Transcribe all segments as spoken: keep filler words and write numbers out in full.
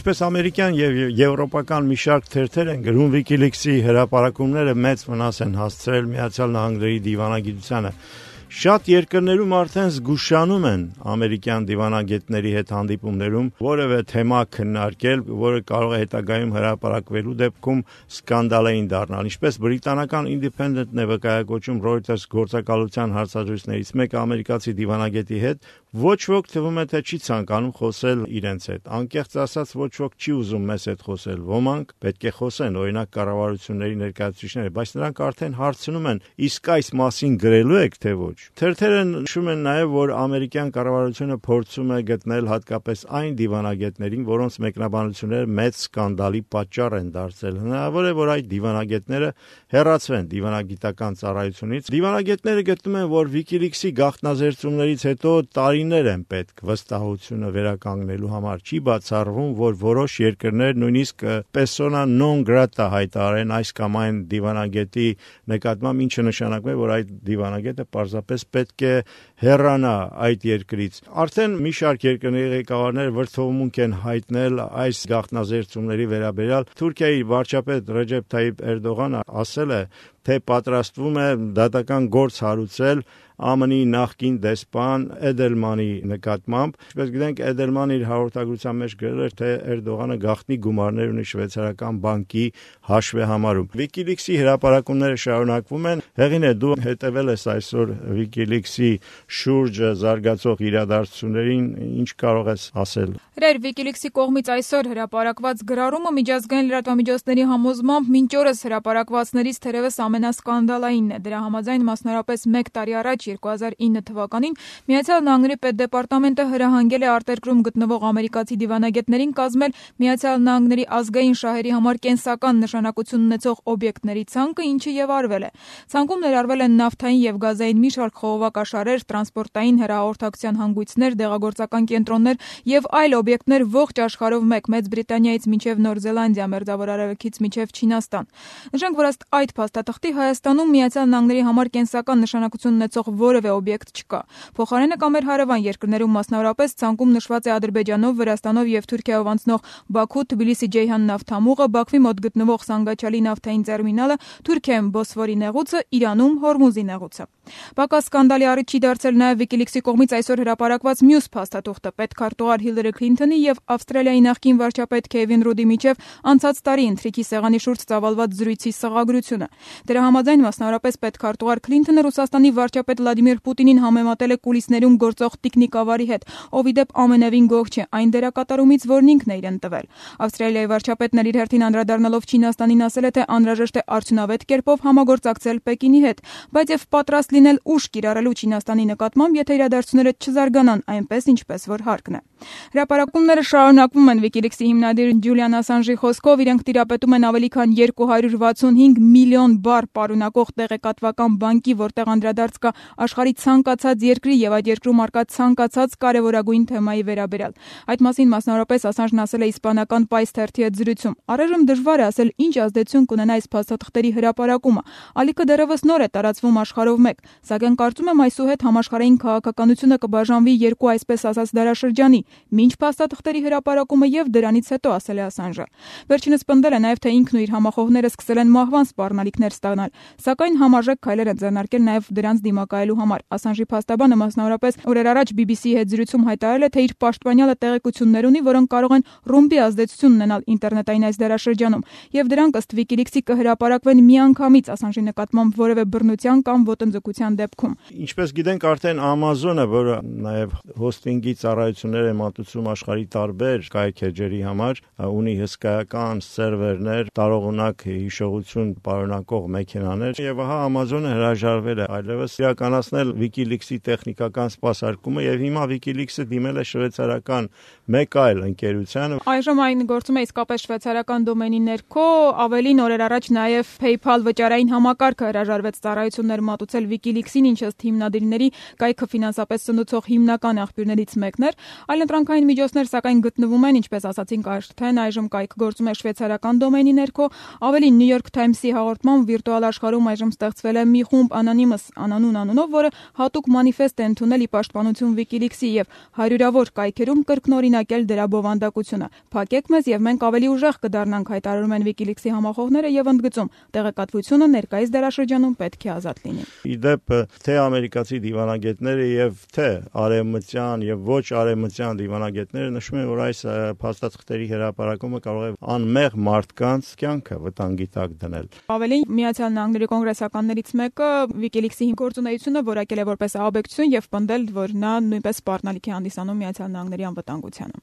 Ինչպես ամերիկյան եւ եվրոպական մի շարք թերթեր են գրում, WikiLeaks-ի հրապարակումները մեծ վնաս են հասցրել Միացյալ Նահանգների դիվանագիտությանը։ Շատ երկրներում արդեն զգուշանում են ամերիկյան դիվանագետների հետ հանդիպումներում որևէ թեմա քննարկել, որը կարող է հետագայում հրապարակվելու դեպքում սկանդալային դառնալ։ Ինչպես բրիտանական Independent-ն է վկայակոչում Reuters գործակալության հարցազրույցներից մեկը ամերիկացի դիվանագետի հետ, ոչ ոք թվում է թե չի ցանկանում խոսել իրենց հետ։ Անկեղծ ասած, ոչ ոք չի ուզում մեզ հետ խոսել։ Ոմանք պետք է խոսեն, օրինակ կառավարությունների ներկայացուցիչները, բայց նրանք արդեն հարցնում են, իսկ այս մասին գրելու եք թե ոչ։ Թերթերը նշում են նաև, որ ամերիկյան կառավարությունը փորձում է գտնել հատկապես այն դիվանագետներին, որոնց մեկնաբանությունները մեծ սկանդալի պատճառ են դարձել։ Հնարավոր է, որ այդ դիվանագետները հեռացվեն դիվանագիտական ծառայությունից։ Դիվանագետները գտնում են, որ WikiLeaks-ի գաղտնազերծումներից հետո տարիներ են պետք վստահությունը վերականգնելու համար։ Չի բացառվում, որ որոշ երկրներ նույնիսկ persona non grata հայտարարեն այս կամ այն դիվանագետի նկատմամբ, ինչը նշանակում է, որ այդ դիվանագետը պարզապես պետք է հեռանա այդ երկրից։ Արդեն մի շարք երկրների ղեկավարներ վրդովմունք են հայտնել այս գաղտնազերծումների վերաբերյալ։ Թուրքիայի վարչապետ Ռեջեփ Թայիփ Էրդողանը ասել է, թե պատրաստվում է դատական գործ հարուցել Է Մ Ն-ի նախկին դեսպան Էդելմանի նկատմամբ։ Ինչպես գիտենք, Էդելմանը իր հաղորդագրության մեջ գրել էր, թե Էրդողանը գաղտնի գումարներ ունի շվեյցարական բանկի հաշվեհամարում։ WikiLeaks-ի հրապարակումները շարունակվում են։ Հեղինե, դու հետևել ես այսօր WikiLeaks-ի շուրջը զարգացող իրադարձություններին, ինչ կարող ես ասել։ Հրեր, WikiLeaks-ի կողմից այսօր հրապարակված գրառումը միջազգային լրատվամիջոցների համոզմամբ մինչ օրս հրապարակվածներից թերևս ամենասկանդալայինն է։ Դրա համաձայն մասնարարպես մեկ տարի առաջ երկու հազար ինը թվականին Միացյալ Նահանգների պետդեպարտամենտը հրահանգել է արտերկրում գտնվող ամերիկացի դիվանագետներին կազմել Միացյալ Նահանգների ազգային շահերի համար կենսական նշանակություն ունեցող օբյեկտների ցանկը, ինչը եւ արվել է։ Ցանկում ներառվել են նավթային եւ գազային մի շարք խողովակաշարեր, տրանսպորտային հեռահաղորդակցության հանգույցներ, դեղագործական կենտրոններ եւ այլ օբյեկտներ ողջ աշխարհով մեկ Մեծ Բրիտանիայից մինչեւ Նոր Զելանդիա, Մերձավոր Արևելքից մինչեւ Չինաստան։ Նշենք, որ ըստ այդ փաստաթղթի Հայաստանում Միացյալ Նահանգների համար կենսական նշանակություն ունեցող որևէ օբյեկտ չկա։ Փոխարենը կամ մեր հարևան երկրներում մասնավորապես ցանկում նշված է Ադրբեջանով, Վրաստանով եւ Թուրքիայով անցնող Բաքու-Թբիլիսի-Ջեյհան նավթամուղը, Բաքվի մոտ գտնվող Սանգաչալի նավթային տերմինալը, Թուրքիայում Բոսֆորի նեղուցը, Իրանում Հորմուզի նեղուցը։ Պակաս սկանդալի առիթ չի դարձել նաև WikiLeaks-ի կողմից այսօր հրապարակված մյուս փաստաթուղթը պետքարտուղար Հիլարի Քլինթոնի եւ Ավստրալիայի նախկին վարչապետ Քեվին Ռուդի միջև անցած տարի ընթրիքի սեղանի շուրջ ծավալված զրույցի սղագրությունը։ Դրա համաձայն մասնավորապես պետքարտուղար Քլինթոնը Ռուսաստանի վարչապետ Վլադիմիր Պուտինին համեմատել է կուլիսներում գործող տիկնիկավարի հետ, ով ի դեպ ամենևին գոհ չէ այն դերակատարումից, որն ինքն է իրեն տվել։ Ավստրալիայի վարչապետն իր հերթին անդրադառնալով Չինաստանին ասել է, թե անհրաժեշտ է արդյունավետ կերպով համագործակցել Պեկինի հետ, բայց եւ պատրաստ լինել ուժ կիրառելու Չինաստանի նկատմամբ, եթե իրադարձությունները չզարգանան այնպես, ինչպես որ հարկն է։ Հրապարակումները շարունակվում են։ WikiLeaks-ի հիմնադիր Ջուլիան Ասանժի խոսքով իրենք տիրապետում են ավելի քան երկու հարյուր վաթսունհինգ միլիոն բառ պարունակող տեղեկատվական բանկի, որտեղ անդրադարձ կա աշխարհի ցանկացած երկրի եւ այդ երկրում արկա ցանկացած կարևորագույն թեմայի վերաբերյալ։ Այդ մասին մասնավորապես Ասանժն ասել է իսպանական Պայս թերթի հետ զրույցում։ Առայժմ դժվար է ասել ինչ ազդեցություն կունենա այս փաստաթղթերի հրապարակումը։ Ալիքը դեռևս նոր է տարածվում աշխարհով մեկ, սակայն կարծում եմ այսուհետ համաշխարհային քաղաքականությունը կբաժանվի երկու այսպես ասած դարաշրջանի՝ մինչ փաստաթղթերի հրապարակումը եւ դրանից հետո, ասել է Ասանժը։ Վերջինս պնդել է նաեւ, թե ինքն ու իր համախոհները սկսել են մահվան սպառնալիքներ ստանալ, սակայն համարժեք քայլեր են ձեռնարկել նաեւ դրանց դիմակայելու համար։ Ասանժի փաստաբանը մասնավորապես օրեր առաջ B B C-ի հետ զրույցում հայտարարել է, թե իր պաշտպանյալը տեղեկություններ ունի, որոնք կարող են ռումբի ազդեցություն ունենալ ինտերնետային այս դարաշրջանում, եւ դրանք ըստ WikiLeaks-ի կհրապարակվեն միանգամից Ասանժի նկատմամբ որևէ բռնության կամ ոտնձգության դեպքում։ Ինչպես գիտենք, արդեն Amazon-ը, որը նաեւ հոստինգի ծառայություններ է մատուցում աշխարհի տարբեր կայքեջերի համար, ունի հսկայական սերվերներ, տարողունակ հիշողություն պարունակող մեքենաներ, եւ ահա Amazon-ը հրաժարվել է այլևս իրականացնել WikiLeaks-ի տեխնիկական սպասարկումը, եւ հիմա WikiLeaks-ը դիմել է շվեյցարական մեկ այլ ընկերության։ Այժմ այն գործում է իսկապես շվեյցարական դոմենի ներքո, ավելին օրեր առաջ նաեւ PayPal վճարային համակարգը հրաժարվեց ծառայություններ մատուցել WikiLeaks-ին, ինչը ըստ հիմնադիրների կայքը ֆինանսապես սնուցող հիմնական աղբյուրներից մեկն էր, այլընտրանքային միջոցներ սակայն գտնվում են, ինչպես ասացինք արդեն, այժմ կայքը գործում է շվեյցարական դոմենի ներքո, ավելին New York Times-ի հաղորդմամբ վիրտուալ աշխարհում այժմ ստեղծվել է մի խումբ Anonymous անանուն անունով, որը հատուկ մանիֆեստ է ընդունել ի պաշտպանություն WikiLeaks-ի եւ հարյուրավոր կայքերում կրկնօրինակել դրա բովանդակությունը։ Փակեք մեզ եւ մենք ավելի ուժեղ կդառնանք, հայտարարում են WikiLeaks-ի համախոհները եւ ընդգծում, տեղեկատվությունը ներկայիս դարաշրջանում պետք է ազատ լինի։ Իդեպ թե ամերիկացի դիվանագետները եւ թե արևմտյան եւ ոչ արևմտյան դիվանագետները նշում են, որ այս փաստաթղթերի հրապարակումը կարող է անմեղ մարդկանց կյանքը վտանգի տակ դնել։ Ավելին, Միացյալ Նահանգների կոնգրեսականներից մեկը WikiLeaks-ի գործունեությունը որակել է որպես ահաբեկչություն եւ պնդել, որ նա նույնպես սպառնալիք է հանդիսանում Միացյալ Նահանգների անվտանգությանը։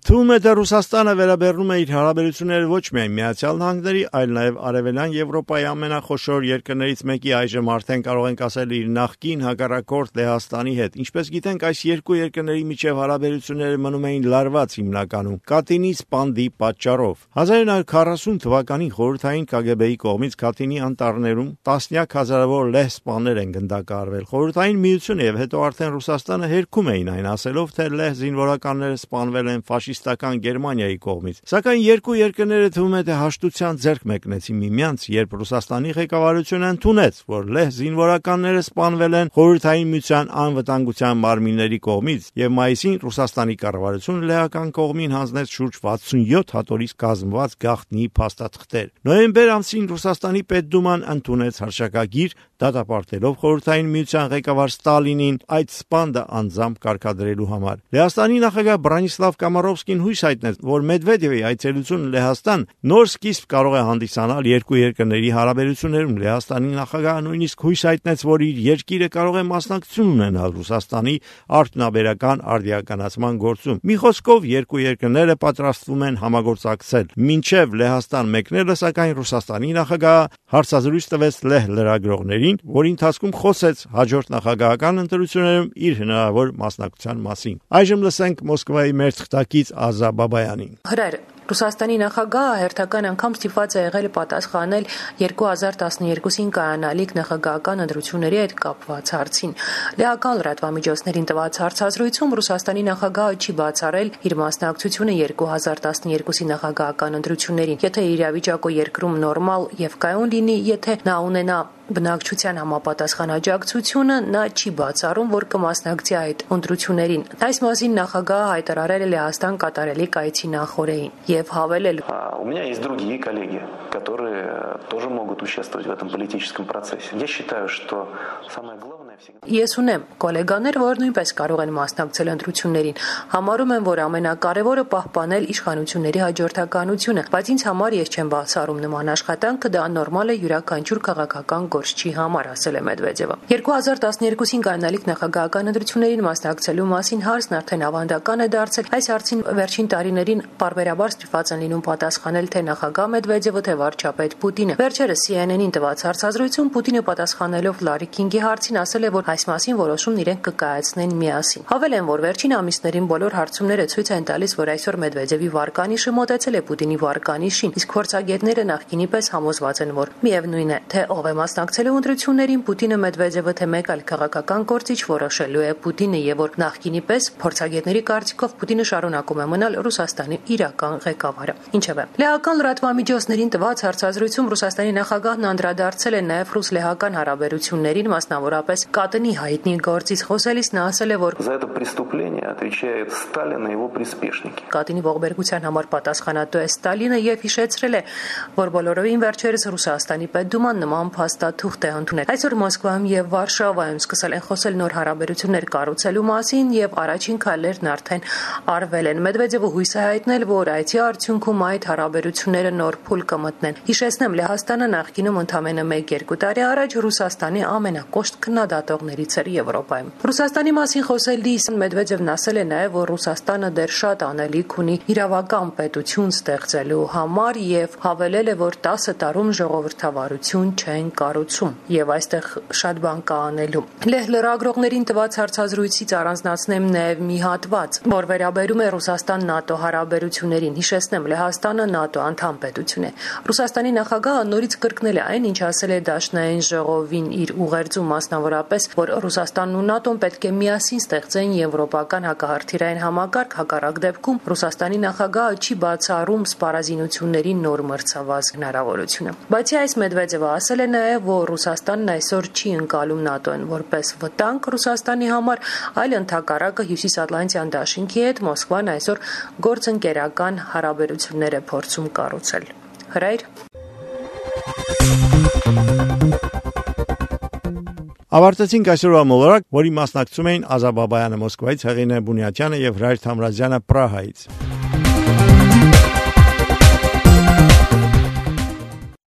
Թվում է, թե Ռուսաստանը վերաբերում է իր հարաբերությունները ոչ միայն Միացյալ Նահանգների, այլ նաև Արևելյան Եվրոպայի ամենախոշոր երկրներից մեկի, այժմ արդեն կարող ենք ասել իր նախկին հակառակորդ Լեհաստանի հետ։ Ինչպես գիտենք, այս երկու երկրների միջև հարաբերությունները մնում էին լարված հիմնականում Կատինի սպանդի պատճառով։ հազար նույնսուն քառասուն թվականին խորհրդային Կ Գ Բ-ի կողմից Կատինի անտառներում տասնյակ հազարավոր լեհ սպաներ են գնդակահարվել։ Խորհրդային Միությունը եւ հետո արդեն Ռուսաստանը հերքում էին այն, ասելով, թե լեհ զինվորականները սպանվել են ֆաշիստական Գերմանիայի կողմից։ Սակայն երկու երկրները թվում է, թե հաշտության ձեռք մեկնեցին միմյանց, երբ Ռուսաստանի ղեկավարությունը ընդունեց, որ լեհ զինվորականները սպանվել են Խորհրդային Միության անվտանգության մարմինների կողմից, եւ մայիսին Ռուսաստանի կառավարությունը լեհական կողմին հանձնեց շուրջ վաթսունյոթ հատորից կազմված գաղտնի փաստաթղթեր։ Նոյեմբեր ամսին Ռուսաստանի Պետդուման ընդունեց հռչակագիր, դատապարտելով Խորհրդային Միության ղեկավար Ստալինին այդ սպանդը անձամբ կարգադրելու համար։ Լեհաստանի նախագահ Բրանիսլավ Կամարովսկին հույս հայտնեց, որ Մեդվեդևի այցելությունը Լեհաստան նոր սկիզբ կարող է հանդիսանալ երկու երկրների հարաբերություններում։ Լեհաստանի նախագահը նույնիսկ հույս հայտնեց, որ իր երկիրը կարող է մասնակցություն ունենալ Ռուսաստանի արդյունաբերական արդիականացման գործում։ Մի խոսքով, երկու երկրները պատրաստվում են համագործակցել։ Մինչև Լեհաստան մեկնելը, սակայն Ռուսաստանի նախագահը հարցազրույց տվեց լեհ լրագրողներին, որի ընթացքում խոսեց հաջորդ նախագահական ընտրություններում իր հնարավոր մասնակցության մասին։ Այժմ լսենք Մոսկվայի մեր թղթակից Ազա Բաբայանին։ Հրեր Ռուսաստանի նախագահը հերթական անգամ ստիպված է եղել պատասխանել երկու հազար տասներկուսին կայանալիք նախագահական ընտրությունների հետ կապված հարցին։ Լեհական լրատվամիջոցներին տված հարցազրույցում Ռուսաստանի նախագահը չի բացառել իր մասնակցությունը երկու հազար տասներկուսի նախագահական ընտրություններին։ Եթե իրավիճակը երկրում նորմալ եւ կայուն լինի, եթե նա ունենա բնակչության համապատասխան աջակցությունը, նա չի բացառում, որ կմասնակցի այդ ընտրություններին։ Այս մասին նախագահը հայտարարել է Լեհաստան կատարելիք այցի նախօրեին եւ հավելել. У меня есть другие коллеги, которые тоже могут участвовать в этом политическом процессе. Я считаю, что самое главное Ես ունեմ գոլեգաներ, որ նույնպես կարող են մասնակցել ընտրություններին։ Համարում եմ, որ ամենակարևորը պահպանել իշխանությունների հաջորդականությունը, բայց ինձ համար ես չեմ բացառում նման աշխատանքը, դա նորմալ է յուրաքանչյուր քաղաքական գործչի համար, ասել է Մեդվեդևը։ երկու հազար տասներկուսին կայանալիք նախագահական ընտրություններին մասնակցելու մասին հարցն արդեն ավանդական է դարձել։ Այս հարցին վերջին տարիներին պարբերաբար ստիպված են լինում պատասխանել թե նախագահ Մեդվեդևը, թե վարչապետ Պուտինը։ Վերջերս C N N-ին տված հարցազրույցում Պուտինը պատասխանելով Լարի Քինգի հարցին ասել է, որ այս մասին որոշումն իրենք կկայացնեն միասին։ Հավելեն, որ վերջին ամիսներին բոլոր հարցումները ցույց են տալիս, որ այսօր Մեդվեդևի վարկանիշը մոտեցել է Պուտինի վարկանիշին, իսկ փորձագետները նախկինի պես համոզված են, որ միևնույն է, թե ով է մասնակցելու ընտրություններին, Պուտինը, Մեդվեդևը, թե մեկ այլ քաղաքական գործիչ որոշելու է Պուտինը, եւ որ նախկինի պես փորձագետների կարծիքով Պուտինը շարունակում է մնալ Ռուսաստանի իրական ղեկավարը։ Ինչևէ, լեհական լրատվամիջոցներին տված հարցազրույցում Ռուսաստանի նախագահն անդրադարձել է նաեւ ռուս-լեհական հարաբերություններին, մասնավորապես Կատնի հայտնի գործից խոսելիս նա ասել է, որ За это преступление отвечает Сталин и его приспешники. Կատինի ողբերգության համար պատասխանատու է Ստալինը եւ հիշեցրել է, որ բոլորովին վերջերս Ռուսաստանի Պետդուման նման փաստաթուղթ է ընդունել։ Այսօր Մոսկվայում եւ Վարշավայում սկսել են խոսել նոր հարաբերություններ կառուցելու մասին եւ առաջին քայլերն արդեն արվել են։ Մեդվեդևը հույս է հայտնել, որ այցի արդյունքում այդ հարաբերությունները նոր փուլ կմտնեն։ Հիշեցնեմ, Լեհաստանը նախկինում ընդամենը մեկ-երկու տարի առաջ Ռուսաստանի ամենակոշտ քննադատողներից էր Եվրոպայում։ Ռուսաստանի մասին խոսելիս Մեդվեդևն ասել է նաեւ, որ Ռուսաստանը դեռ շատ անելիք ունի իրավական պետություն ստեղծելու համար եւ հավելել է, որ տասը տարում ժողովրդավարություն չեն կառուցել։ կառուցում եւ այստեղ շատ բան կա անելու։ Լեհ լրագրողներին տված հարցազրույցից առանձնացնեմ նաեւ մի հատված, որ վերաբերում է Ռուսաստան-ՆԱՏՕ հարաբերություններին։ Հիշեցնեմ, Լեհաստանը ՆԱՏՕ անդամ պետություն է։ Ռուսաստանի նախագահը նորից կրկնել է այն, ինչ ասել է Դաշնային ժողովին իր ուղերձում, մասնավորապես, որ Ռուսաստանն ու ՆԱՏՕ-ն պետք է միասին ստեղծեն եվրոպական հակահրթիռային համակարգ, հակառակ դեպքում Ռուսաստանի նախագահը չի բացառում սպառազինությունների նոր մրցավազ հնարավորությունը։ Բացի այս, Մեդվեդևը ասել է նաև, որ Ռուսաստանն այսօր չի ընկալում ՆԱՏՕ-ն որպես վտանգ Ռուսաստանի համար, այլ ընդհակառակը Հյուսիսատլանտյան դաշինքի հետ Մոսկվան այսօր գործընկերական հարաբերություններ է փորձում կառուցել։ Հրայր Ավարտեցինք այսօրվա մոլորակ, որի մասնակցում էին Ազա Բաբայանը Մոսկվայից, Հեղինե Բունյատյանը եւ Հրայր Թամրազյանը Պրահայից։